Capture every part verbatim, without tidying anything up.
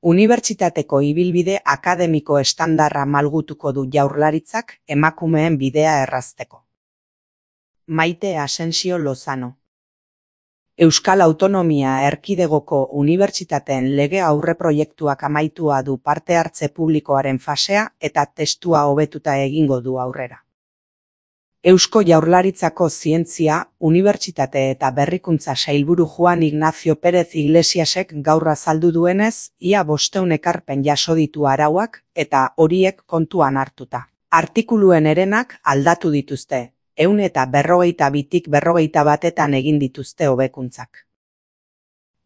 Unibertsitateko ibilbide akademiko estandarra malgutuko du Jaurlaritzak emakumeen bidea errazteko. Maite Asensio Lozano. Euskal Autonomia Erkidegoko Unibertsitateen lege aurreproiektuak amaitua du parte hartze publikoaren fasea eta testua hobetuta egingo du aurrera. Eusko Jaurlaritzako Zientzia, Unibertsitate eta Berrikuntza Sailburu Juan Ignacio Pérez Iglesiasek gaur azaldu duenez, ia bostehun ekarpen jaso ditu arauak eta horiek kontuan hartuta. Artikuluen herenak aldatu dituzte, ehun eta berrogeita bitik berrogeita batetan egin dituzte hobekuntzak.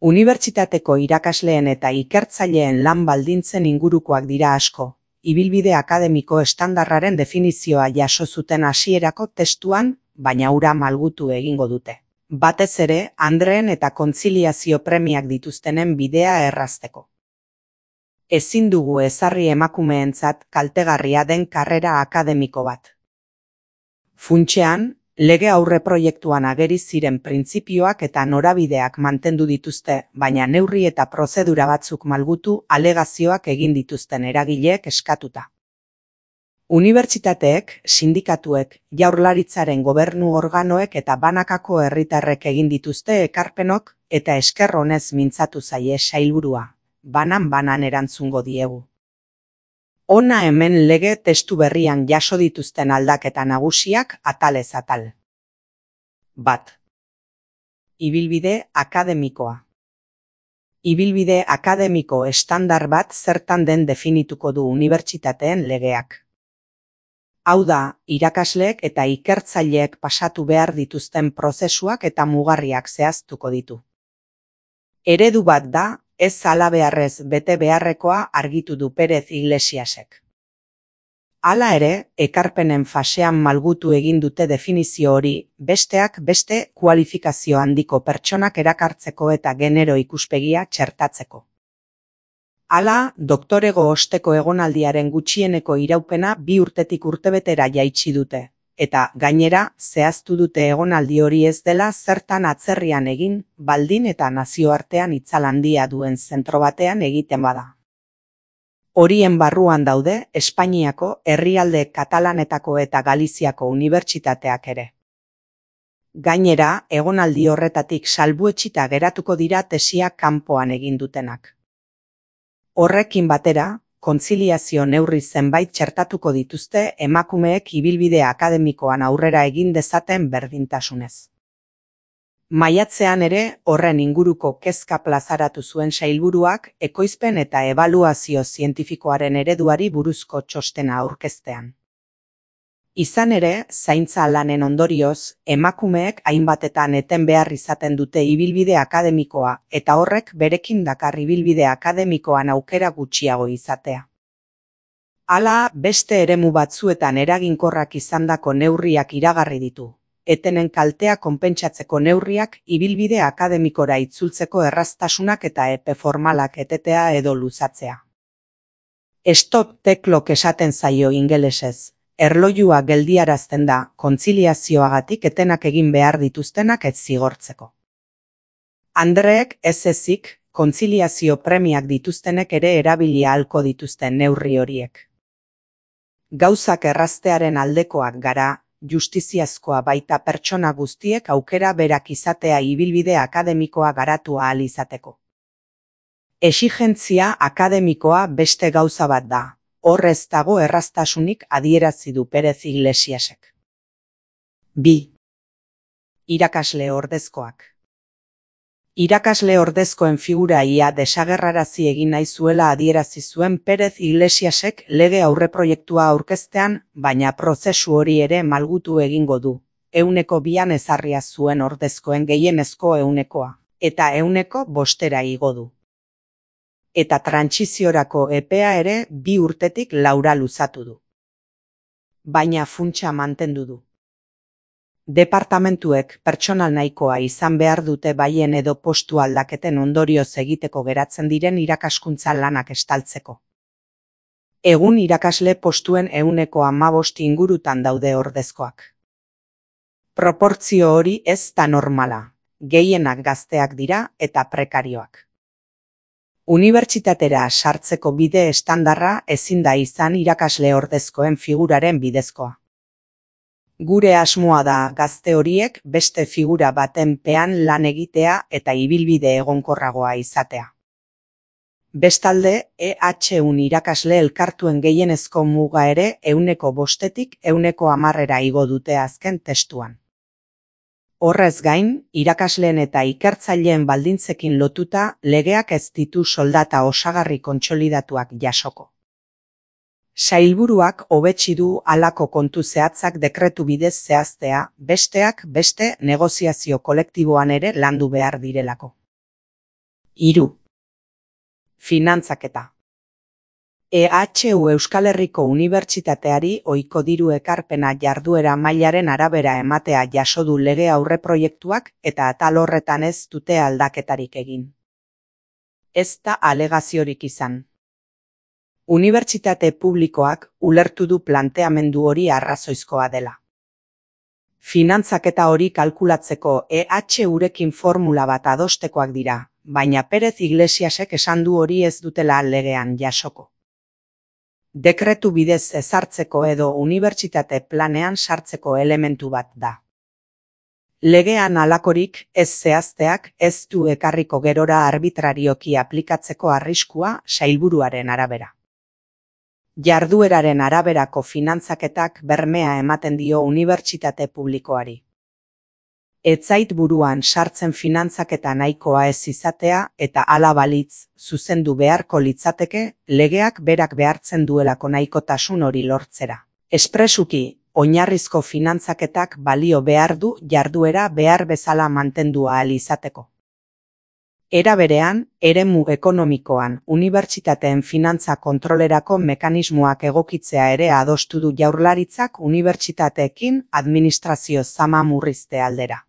Unibertsitateko irakasleen eta ikertzaileen lan baldintzen ingurukoak dira asko. Ibilbide akademiko estandarraren definizioa jaso zuten hasierako testuan, baina hura malgutu egingo dute. Batez ere, andreen eta kontziliazio premiak dituztenen bidea errazteko. Ezin dugu ezarri emakumeentzat kaltegarria den karrera akademiko bat. Funtsean, lege aurreproiektuan ageri ziren printzipioak eta norabideak mantendu dituzte, baina neurri eta prozedura batzuk malgutu alegazioak egin dituzten eragileek eskatuta. Unibertsitateek, sindikatuek, Jaurlaritzaren gobernu organoek eta banakako herritarrek egin dituzte ekarpenok eta esker honez mintzatu zaie sailburua, banan-banan erantzungo diegu. Hona hemen lege testu berrian jaso dituzten aldaketa nagusiak atalez atal. Bat. Ibilbide akademikoa. Ibilbide akademiko estandar bat zertan den definituko du unibertsitateen legeak. Hau da, irakasleek eta ikertzaileek pasatu behar dituzten prozesuak eta mugarriak zehaztuko ditu. Eredu bat da, ez halabeharrez bete beharrekoa argitu du Pérez Iglesiasek. Hala ere, ekarpenen fasean malgutu egin dute definizio hori, besteak beste kualifikazio handiko pertsonak erakartzeko eta genero ikuspegia txertatzeko. Hala, doktorego osteko egonaldiaren gutxieneko iraupena bi urtetik urtebetera jaitsi dute. Eta, gainera, zehaztu dute egonaldi hori ez dela zertan atzerrian egin, baldin eta nazioartean itzal handia duen zentro batean egiten bada. Horien barruan daude, Espainiako, herrialde Katalanetako eta Galiziako unibertsitateak ere. Gainera, egonaldi horretatik salbuetsita geratuko dira tesia kanpoan egin dutenak. Horrekin batera, kontziliazio neurri zenbait txertatuko dituzte emakumeek ibilbide akademikoan aurrera egin dezaten berdintasunez. Maiatzean ere horren inguruko kezka plazaratu zuen sailburuak ekoizpen eta ebaluazio zientifikoaren ereduari buruzko txostena aurkeztean. Izan ere, zaintza lanen ondorioz, emakumeek hainbatetan eten behar izaten dute ibilbide akademikoa eta horrek berekin dakar ibilbide akademikoan aukera gutxiago izatea. Hala, beste eremu batzuetan eraginkorrak izandako neurriak iragarri ditu. Etenen kaltea konpentsatzeko neurriak ibilbide akademikora itzultzeko erraztasunak eta epe formalak etetea edo luzatzea. Stop the clock esaten zaio ingelesez. Erloilua geldiarazten da, kontziliazioagatik etenak egin behar dituztenak ez zigortzeko. Andreek ez ezik, kontziliazio premiak dituztenek ere erabili ahalko dituzten neurri horiek. Gauzak erraztearen aldekoak gara, justiziazkoa baita pertsona guztiek aukera berak izatea ibilbide akademikoa garatu ahal izateko. Exigentzia akademikoa beste gauza bat da. Horrez dago erraztasunik adierazi du Pérez Iglesiasek. Bi. Irakasle ordezkoak. Irakasle ordezkoen figura ia desagerrarazi egin nahi zuela adierazi zuen Pérez Iglesiasek lege aurreproiektua aurkeztean, baina prozesu hori ere malgutu egingo du. Ehuneko bian ezarria zuen ordezkoen gehienezko ehunekoa, eta ehuneko bostera igo du. Eta trantsiziorako epea ere bi urtetik laura luzatu du. Baina funtsa mantendu du. Departamentuek pertsonal nahikoa izan behar dute baien edo postu aldaketen ondorioz egiteko geratzen diren irakaskuntza lanak estaltzeko. Egun irakasle postuen ehuneko hamabost ingurutan daude ordezkoak. Proportzio hori ez da normala, gehienak gazteak dira eta prekarioak. Unibertsitatera sartzeko bide estandarra ezin da izan irakasle ordezkoen figuraren bidezkoa. Gure asmoa da gazte horiek beste figura baten pean lan egitea eta ibilbide egonkorragoa izatea. Bestalde, E H un irakasle elkartuen gehienezko muga ere ehuneko bostetik ehuneko hamarrera igo dute azken testuan. Horrez gain, irakasleen eta ikertzaileen baldintzekin lotuta legeak ez ditu soldata osagarri kontsolidatuak jasoko. Sailburuak hobetsi du halako kontu zehatzak dekretu bidez zehaztea, besteak beste negoziazio kolektiboan ere landu behar direlako. Hiru. Finantzaketa. E H U Euskal Herriko Unibertsitateari ohiko diru ekarpena jarduera mailaren arabera ematea jaso du lege aurreproiektuak eta atal horretan ez dute aldaketarik egin. Ez da alegaziorik izan. Unibertsitate publikoak ulertu du planteamendu hori arrazoizkoa dela. Finantzaketa hori kalkulatzeko E H Urekin formula bat adostekoak dira, baina Pérez Iglesiasek esan du hori ez dutela legean jasoko. Dekretu bidez ezartzeko edo unibertsitate planean sartzeko elementu bat da. Legean halakorik ez zehazteak ez du ekarriko gerora arbitrarioki aplikatzeko arriskua sailburuaren arabera. Jardueraren araberako finantzaketak bermea ematen dio unibertsitate publikoari. Ez zait buruan sartzen finantzaketa nahikoa ez izatea eta hala balitz, zuzendu beharko litzateke, legeak berak behartzen duelako nahikotasun hori lortzera. Espresuki, oinarrizko finantzaketak balio behar du jarduera behar bezala mantendu ahal izateko. Era berean, eremu ekonomikoan unibertsitateen finantza kontrolerako mekanismoak egokitzea ere adostu du Jaurlaritzak unibertsitateekin administrazio zama murrizte aldera.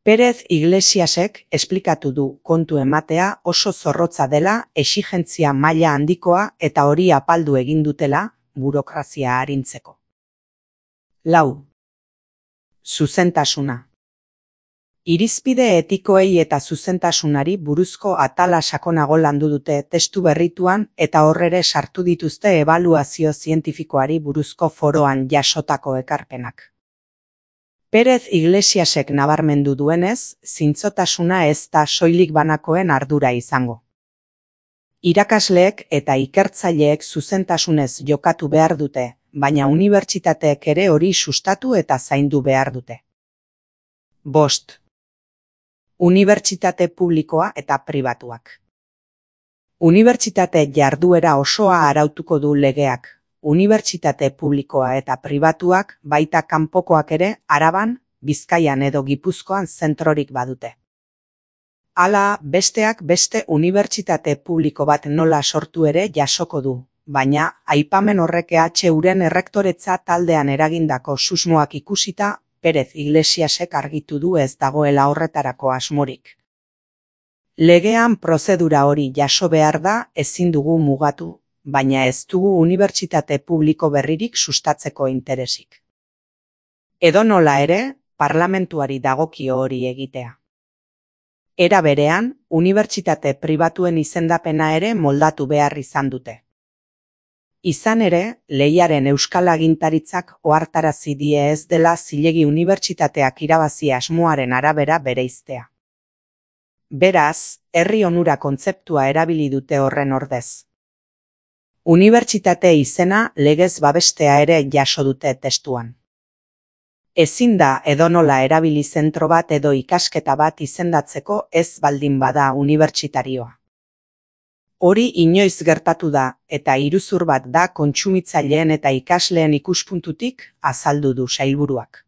Pérez Iglesiasek esplikatu du kontu ematea oso zorrotza dela, exigentzia maila handikoa eta hori apaldu egin dutela, burokrazia arintzeko. Lau. Zuzentasuna. Irizpide etikoei eta zuzentasunari buruzko atala sakonago landu dute testu berrituan eta horrere sartu dituzte ebaluazio zientifikoari buruzko foroan jasotako ekarpenak. Pérez Iglesiasek nabarmendu duenez, zintzotasuna ez da soilik banakoen ardura izango. Irakasleek eta ikertzaileek zuzentasunez jokatu behar dute, baina unibertsitateek ere hori sustatu eta zaindu behar dute. Bost. Unibertsitate publikoa eta pribatuak. Unibertsitate jarduera osoa arautuko du legeak. Unibertsitate publikoa eta pribatuak baita kanpokoak ere Araban, Bizkaian edo Gipuzkoan zentrorik badute. Hala, besteak beste unibertsitate publiko bat nola sortu ere jasoko du, baina aipamen horrek E H Uren errektoretza taldean eragindako susmoak ikusita, Pérez Iglesiasek argitu du ez dagoela horretarako asmorik. Legean prozedura hori jaso behar da ezin dugu mugatu, baina ez dugu unibertsitate publiko berririk sustatzeko interesik. Edonola ere, parlamentuari dagokio hori egitea. Era berean, unibertsitate pribatuen izendapena ere moldatu behar izan dute. Izan ere, lehiaren euskal agintaritzak ohartarazi die ez dela zilegi unibertsitateak irabazi asmoaren arabera bereiztea. Beraz, herri onura kontzeptua erabili dute horren ordez. Unibertsitate izena legez babestea ere jaso dute testuan. Ezin da edonola erabili zentro bat edo ikasketa bat izendatzeko ez baldin bada unibertsitarioa. Hori inoiz gertatu da eta iruzur bat da kontsumitzaileen eta ikasleen ikuspuntutik azaldu du sailburuak.